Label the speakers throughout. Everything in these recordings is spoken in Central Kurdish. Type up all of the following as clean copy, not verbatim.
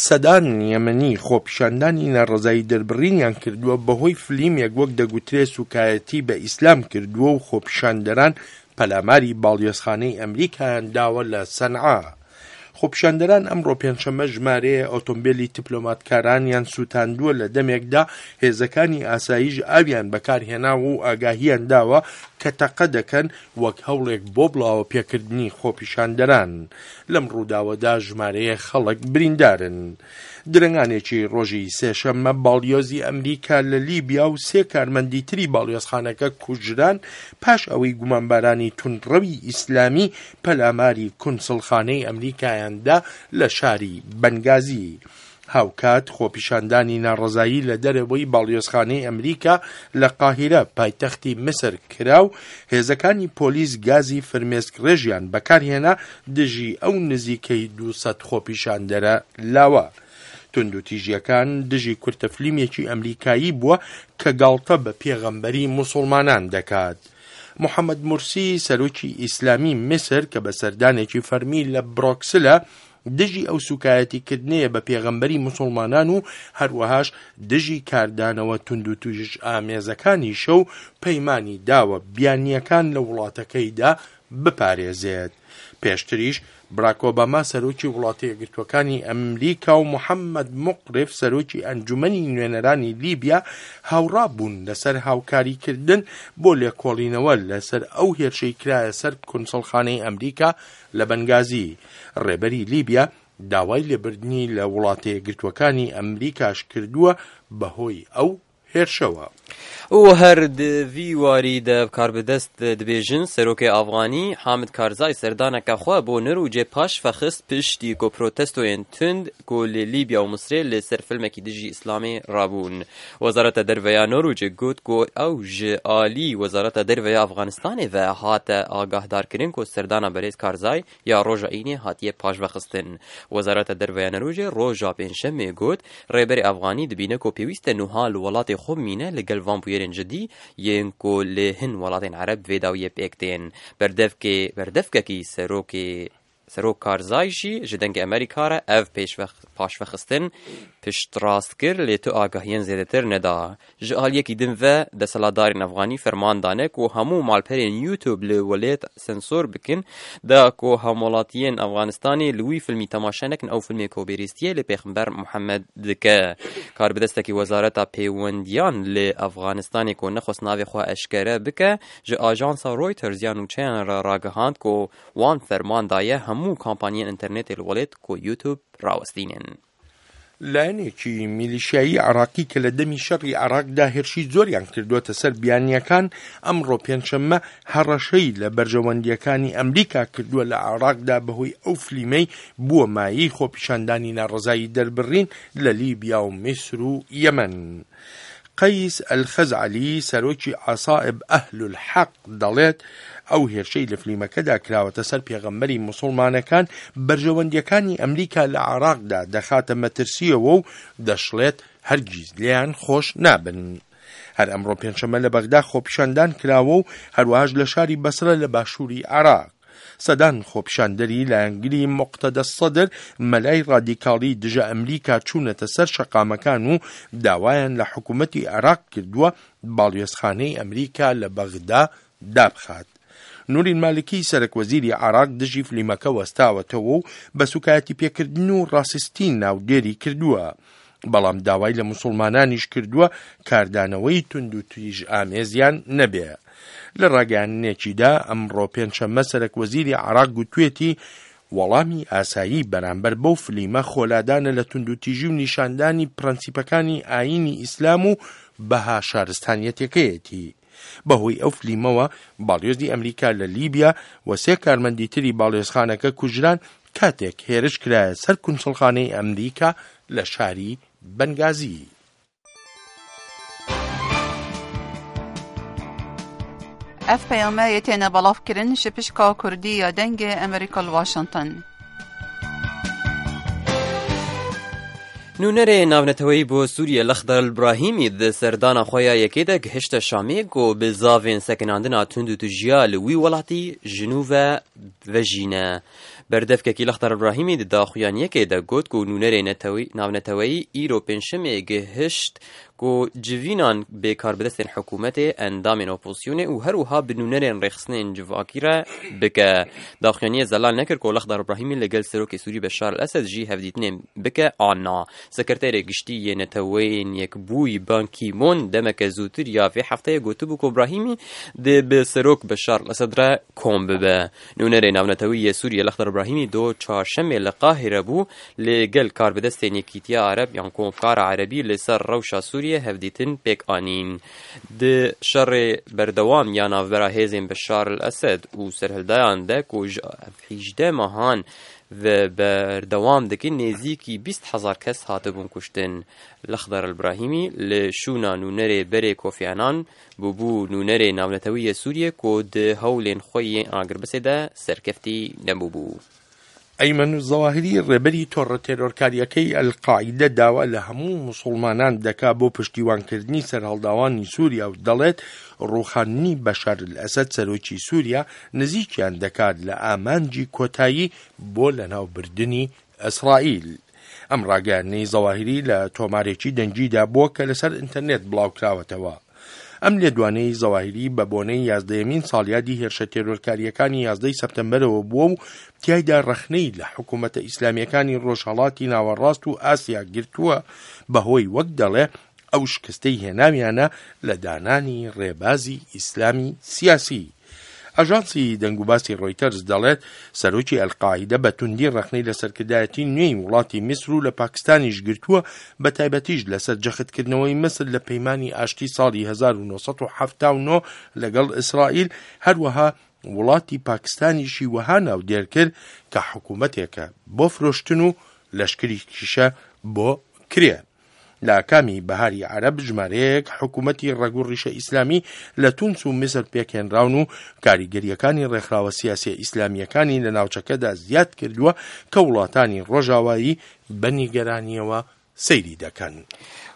Speaker 1: سەدان یەمەنی خۆپیشاندانی ناڕەزایی دەربڕینیان کردووە بەهۆی فلیمێک وەک دەگوترێ سوکایەتی بە ئیسلام کردووە و خۆپیشاندەران پەلاماری باڵیۆزخانەی ئەمریکایان داوە لە سەنعا. خۆپیشاندەران ئەمڕۆ پێنجشەممە ژمارەیە ئۆتۆمبێلی تپلۆماتکارانیان سووتاندووە لە دەمێکدا هێزەکانی ئاسایش ئاویان بەکارهێناوە و ئاگاهیان داوە کە تەقە دەکەن وەک هەوڵێک بۆ بڵاوەپێکردنی خۆپیشاندەران. لەم ڕووداوەدا ژمارەیەک خەڵک بریندارن. درەنگانێکی ڕۆژی سێشەممە باڵیۆزی ئەمریکا لە لیبیا و سێ کارمەندی تری باڵیۆزخانەکە کوژران پاش ئەوەی گومانبارانی توندڕەوی ئیسلامی پەلاماری کونسڵخانەی ئەمریکایان دا لە شاری بەنگازی. هاوکات خۆپیشاندانی ناڕەزایی لە دەرەوەی باڵیۆزخانەی ئەمریکا لە قاهیرە پایتەختی میسر کرا و هێزەکانی پۆلیس گازی فرمێسکڕێژیان بەکارهێنا دژی ئەو نزیکەی 200 خۆپیشاندەرە لاوە. توندوتیژیەکان دژی کورتە فلیمێکی ئەمریکایی بووە کە گاڵتە بە پێغەمبەری موسوڵمانان دەکات. محەمەد مورسی سەرۆکی ئیسلامی میسر کە بە سەردانێکی فەرمی لە برۆکسلە دژی ئەو سوکایەتی کردنەیە بە پێغەمبەری موسوڵمانان و هەروەهاش دژی کاردانەوە توندوتیژئامێزەکانیشە و پەیمانی داوە بیانییەکان لە وڵاتەکەیدا بپارێزێت. پێشتریش براک ئۆباما سەرۆکی وڵاتە یەکگرتووەکانی ئەمریکا و محەممەد موقرف سەرۆکی ئەنجومەنی نوێنەرانی لیبیا هاوڕا بوون لەسەر هاوکاریکردن بۆ لێکۆڵینەوە لەسەر ئەو هێرشەی کرایە سەر کونسڵخانەی ئەمریکا لە بەنگازی. ڕێبەری لیبیا داوای لێبردنی لە وڵاتە یەکگرتووەکانی ئەمریکاش کردووە بەهۆی ئەو هێرشەوە.
Speaker 2: و هەر di vî warî de karbidest dibêjin Serokê Afxanî Hamid Karzai serdaneke xwe bo Nirûcê paşve xist piştî ku protestoyên tund ku li Lîbya û Misrê li ser filmekî dijî Îslamê rabûn. Wezareta Derve ya Norwêcê got ku ew ji alî Wezareta Derve ya Afxanistanê ve hate agahdarkirin ku serdana Berêz Karzai ya roja Înê hatiye paşvexistin. Wezareta Derve ya Norwêcê roja Pêncşemê got, Rêberê Afxanî dibîne ku pêwîst e nuha li welatê xwe bimîne li gel van bûyerên cidî yên ku li hin welatên Ereb vê dawiyê pêk tên. Berdevkê berdevkekî serokê Serok Karzai jî ji Dengê Amerîka re ev paşvexistin piştrast kir lê tu agahiyên zêdetir neda. Ji aliyekî din ve desthilatdarên Efxanî ferman dane ku hemû malperên YouTube li welêt sensor bikin da ku hemwelatiyên Efxanistanê li wî filmî temaşe nekin ew filmê ku bêrêztiyê li Pêxember Muhemed dike. Karbidestekî Wezareta Pêwendiyan li Efxanistanê ku nexwest navê xwe eşkere bike ji ajansa Reuters ya nûçeyan re ragihand ku Wan ferman daye hemû kampaniyên înternetê li welêt ku YouTube rawestînin.
Speaker 1: لایەنێکی میلیشیایی عێراقی کە لە دەمی شەڕی عێراقدا هێرشی زۆریان کردووەتە سەر بیانییەکان، ئەمڕۆ پێنجشەممە هەڕەشەی لە بەرژەوەندییەکانی ئەمریکا کردووە لە عێراقدا بەهۆی ئەو فلیمەی بووە مایەی خۆپیشاندانی ناڕەزایی دەربڕین لە لیبیا و میسر و یەمەن. قەیس ئەلخەزعەلی، سەرۆکی عەسائب ئەهلولحەق دەڵێت، ئەو هێرشەی لە فلیمەکەدا کراوەتە سەر پێغەمبەری موسڵمانەکان، بەرژەوەندییەکانی ئەمریکا لە عێراقدا دەخاتە مەترسییەوە و دەشڵێت، هەرگیز لێیان خۆش نابن. هەر ئەمڕۆ پێنجشەممە لە بەغدا خۆپیشاندان کراوە و هەروەهاش لە شاری بەسرە لە باشووری عێراق. سەدان خۆپیشاندەری لایەنگری موقتەدا سەدر، مەلای ڕادیکاڵی دژە ئەمریکا چوونەتە سەر شەقامەکان و داوایان لە حکومەتی عێراق کردووە باڵیۆزخانەی ئەمریکا لە بەغدا دابخات. نوری مالکی سەرەک وەزیری عێراق دژی فلیمەکە وەستاوەتەوە و بە سوکایەتیپێکردن و ڕاسیستی ناودێری کردووە. بەڵام داوای لە موسڵمانانیش کردووە کاردانەوەی توندوتیژئامێزیان نەبێ. لە ڕاگەیاندنێکیدا ئەمڕۆ پێنجشەممە سەرەک وەزیری عێراق گوتوێتی وەڵامی ئاسایی بەرامبەر بەو فلیمە خۆلادانە لە توندوتیژی و نیشاندانی پرەنسیپەکانی ئایینی ئیسلام و بەها شارستانیەتەکەیەتی. بەهۆی ئەو فلیمەوە باڵیۆزی ئەمریکا لە لیبیا و سێ کارمەندی تری باڵیۆزخانەکە کوژران کاتێک هێرش کرایە سەر کونسڵخانەی ئەمریکا لە شاری بەنگازی.
Speaker 3: Ev peyame yê têne belav kirin ji pişka Kurdî ya Dengê Amerîka li Washington.
Speaker 2: Nûnerê navneteweyî bo Sûriye Lexdar Elbrahîmî di serdana xwe ya yekê de gihişte Şamê ku bi zavên sekinandina tund û tujiya li wî welatî ji nû ve vejîne. Berdevkekî Lexdar Îbrahîmî di daxuyaniyekê de got ku nûnerê navneteweyî îro pêncşemê gihişt ku civînan bi karbidestên hikûmetê, endamên opozisyonê û her wiha bi nûnerên rêxistinên civakî re bike. Daxuyaniyê zelal nekir ku Lexdar Îbrahîmî li gel Serokê Sûrî Beşar El Esed jî hevdîtinê bike an na. Sekreterê Giştî yê Neteweyên Yekbûyî Ban Ki Moon demeke zûtir ya vê hefteyê gotibû ku Îbrahîmî dê bi Serok Beşar El Esed re kom bibe. Nûnerê navnetewî yê Sûriyê Lexdar Îbrahîmî do çarşemê li Qahîre bû li gel karbidestên Yekîtiya Ereb yan Komkara Erebî li ser rewşa Sûriyê hevdîtin pêk anîn. Di şerê berdewam ya navbera hêzên Beşar El Esed û serhildayan de ku ji 18 mehan ve berdewam dikin nêzîkî 20 hezar kes hatibûn kuştin. Lexdar Îbrahîmî li şûna nûnerê berê Kofi Annan bûbû nûnerê navnetewî yê Sûriyê ku di hewlên xwe yên agirbesê de serkeftî nebûbû.
Speaker 1: ئەیمەن زەواهیری ڕێبەری تۆڕە تێرۆرکاریەکەی ئەلقاعیدە داوا لە هەموو موسڵمانان دەکا بۆ پشتیوانکردنی سەرهەڵداوانی سووریا و دەڵێت ڕووخاندنی بەشار ئەسەد سەرۆکی سووریا نزیکیان دەکات لە ئامانجی کۆتایی بۆ لەناوبردنی ئیسرائیل. ئەم ڕاگەیاندنەی زەواهیری لە تۆمارێکی دەنگیدا بووە کە لەسەر ئینتەرنێت بڵاوکراوەتەوە. ئەم لێدوانەی زەواهیری بە بۆنەی یازدەیەمین ساڵیادی هێرشە تێرۆرکارییەکانی یازدەی سەپتەمبەرەوە بووە و تیایدا ڕەخنەی لە حکوومەتە ئیسلامیەکانی ڕۆژهەڵاتی ناوەڕاست و ئاسیا گرتووە بەهۆی وەک دەڵێ ئەو شکستەی هێناویانە لە دانانی ڕێبازی ئیسلامی سیاسی. ئاژانسی دەنگوباسی ڕۆیتەرز دەڵێت سەرۆکی ئەلقاعیدە بە توندی ڕەخنەی لە سەرکردایەتی نوێی وڵاتی میسر و لە پاکستانیش گرتووە بە تایبەتیش لەسەر جەختکردنەوەی میسر لە پەیمانی ئاشتی ساڵی 1979 لەگەڵ ئیسرائیل هەروەها وڵاتی پاکستانیشی وەها ناودێر کرد کە حکوومەتێکە بۆ فرۆشتن و لەشکریکیشە بۆ کرێ. لە ئاکامی بەهاری عەرەب ژمارەیەک حکوومەتی ڕەگ و ڕیشە ئیسلامی لە تونس و میسر پێکهێنراون و کاریگەرییەکانی ڕێکخراوە سیاسیە ئیسلامییەکانی لە ناوچەکەدا زیاد کردووە کە وڵاتانی ڕۆژاوایی بە نیگەرانییەوە سەیری دەکەن.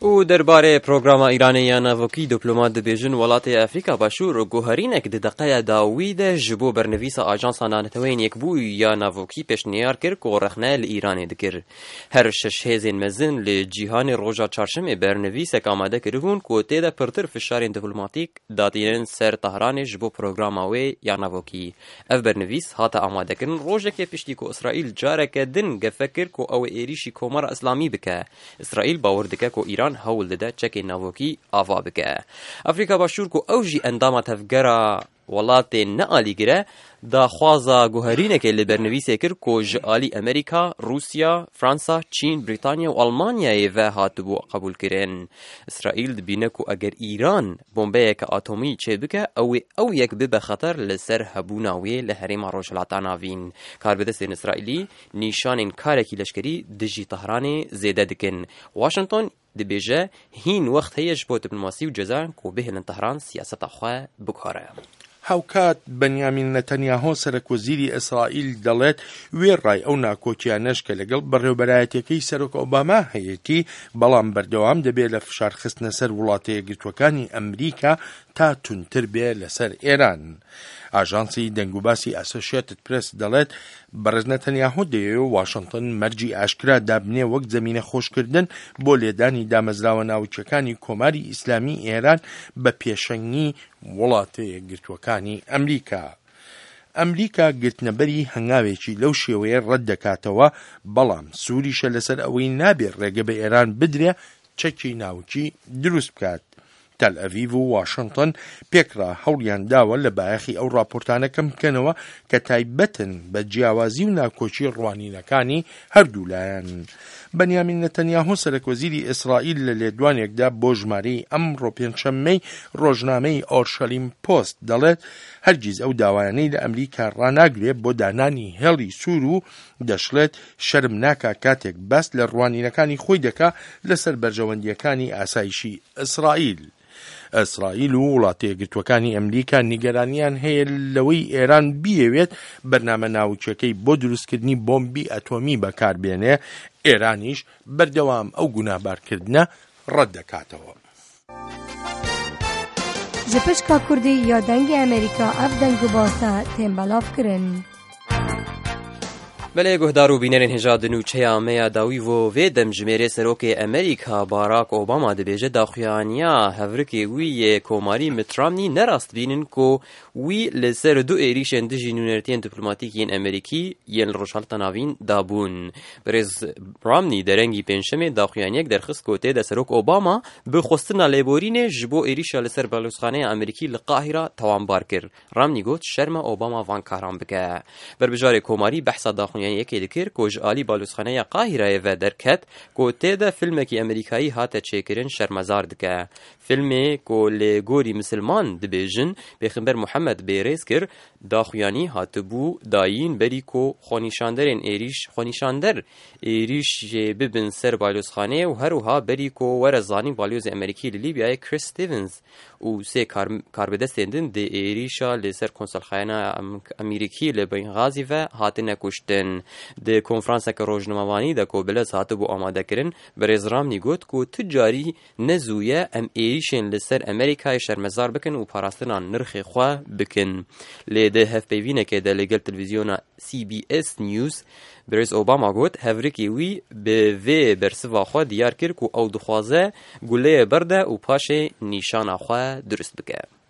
Speaker 2: و دەربارەی پرۆگراما ئیرانê ya navokî diplomat dibêjin welatê Efrîka Başûr guherînek di deqeya dawî de ji bo bernivîsa Ajansa Navneteweyên Yekbûyî ya Navokî pêşniyar kir ku rexne li Îranê dikir. Her şeş hêzên mezin li cîhanê roja çarşemê bernivîsek amade kiribûn ku tê de pirtir fişarên diplomatîk datînin ser Tehranê ji bo programa wê ya navokî. Ev bernivîs hate amadekirin rojekê piştî ku Îsraîl careke din gefe kir ku ew ê êrîşî Komara Îslamî bike. Îsraîl bawer dike ku Îran hewl dide çekên navokî ava bike. Afrîka Başûr ku ew jî endama tevgera welatên ne alîgir e, daxwaza guherînekê li bernivîsê kir ku ji alî Amerîka, Rûsya, Fransa, Çîn, Brîtanya û Almanyayê ve hatibû qebûlkirin. Îsraîl dibîne ku eger Îran bombeyeke atomî çêbike ew ê ew yek bibe xeter li ser hebûna wê li herêma Rojhilata Navîn. Karbidestên Îsraîlî nîşanên karekî leşkerî dijî Tehranê zêde dikin. Washington dibêje hîn wext heye ji bo diplomasî û cezayan ku bihêlin Tehran siyaseta xwe biguhere.
Speaker 1: هاوکات بەنیامین نەتەنیاهۆ سەرەک وەزیری ئیسرائیل دەڵێت وێڕای ئەو ناکۆکیانەش کە لەگەڵ بەڕێوبەرایەتەکەی سەرۆک ئۆباما هەیەتی بەڵام بەردەوام دەبێت لە فشار خستنە سەر وڵاتە یەکگرتووەکانی ئەمریکا تا توندتر بێ لەسەر ئێران. ئاژانسی دەنگوباسی ئەسۆشیتد پرێس دەڵێت بەڕێز نەتەنیاهۆ دەیەوێت واشنگتن مەرجی ئاشکرا دابنێ وەک زەمینە خۆشکردن بۆ لێدانی دامەزراوە ناوکیەکانی کۆماری ئیسلامی ئێران بە پێشەنگی وڵاتە یەکگرتووەکانی ئەمریکا. ئەمریکا گرتنەبەری هەنگاوێکی لەو شێوەیە ڕەت دەکاتەوە بەڵام سووریشە لەسەر ئەوەی نابێت ڕێگە بە ئێران بدرێ چەکی ناوکی دروست بکات. تەل ئەڤیڤ و واشنگتن پێکرا هەوڵیان داوە لە بایەخی ئەو راپۆرتانە کەم بکەنەوە کە تایبەتن بە جیاوازی و ناکۆکی ڕوانینەکانی هەردوو لایەن. بەنیامین نەتەنیاهۆ سەرەک وەزیری ئیسرائیل لە لێدوانێکدا بۆ ژمارەی ئەمڕۆ پێنجشەممەی ڕۆژنامەی ئۆرشەلیم پۆست دەڵێت هەرگیز ئەو داوایانەی لە ئەمریکا ڕاناگرێت بۆ دانانی هێڵی سوور و دەشڵێت شەرم ناکا کاتێک باس لە ڕوانینەکانی خۆی دەکا لەسەر بەرژەوەندیەکانی ئاسایشی ئیسرائیل. ئیسرائیل و وڵاتە یەکگرتووەکانی ئەمریکا نیگەرانیان هەیە لەوەی ئێران بیەوێت بەرنامە ناوکیەکەی بۆ دروستکردنی بۆمبی ئەتۆمی بەکاربێنێ، ئێرانیش بەردەوام ئەو گوناهبارکردنە ڕەت دەکاتەوە.
Speaker 4: Ji pişka Kurdî ya Dengê Amerîka ev deng û base tên belavkirin.
Speaker 2: Belê guhdar û bînerên hêja di nûçeya me ya dawî vo vê demjimêrê Serokê Amerîka Barack Obama dibêje daxuyaniya hevrikê wî yê Komarî Mitt Romney ne rast bînin ku wî li ser du êrîşên dijî nûnertiyên diplomatîk yên Amerîkî yên li Rojhilata Navîn dabûn. Birêz Romney derengî pêncşemê daxuyaniyek derxist ku tê de Serok Obama bi xwestina lêborînê ji bo êrîşa li ser balozxaneya Amerîkî li Qahîra tawanbar kir. Romney got şerm e Obama van karan bike. Berbijarê Komarî behsa daxuyaniyekê dikir ku ji alî balozxaneya Qahîrayê ve derket ku tê de filmekî Amerîkayî hate çêkirin şermezar dike. Filmê ku li gorî misilman dibêjin Pêxember Muhemed bêrêz kir, daxuyanî hatibû dayîn berî ku xwenîşanderên êrîş xwenîşander êrîş jê bibin ser balyozxaneyê û her wiha berî ku were zanîn balyozê Amerîkî li Lîbyayê Chris Stevens û sê karbidestên din di êrîşa li ser konsolxaneya Amerîkî li Bengazî ve hatine kuştin. Di konferanseke rojnamevanî de ku bilez hatibû amadekirin, Birêz Romney got ku tu carî Ne zû ye em êrîşên li ser Amerîkayê şermezar bikin û parastina nirxê xwe bikin. Lê di hevpeyvînekê de li gel televîzyona CBS News, Birêz Obama got hevrikê wî bi vê bersiva xwe diyar kir ku ew dixwaze guleyê berde û paşê nîşana xwe dirust bike.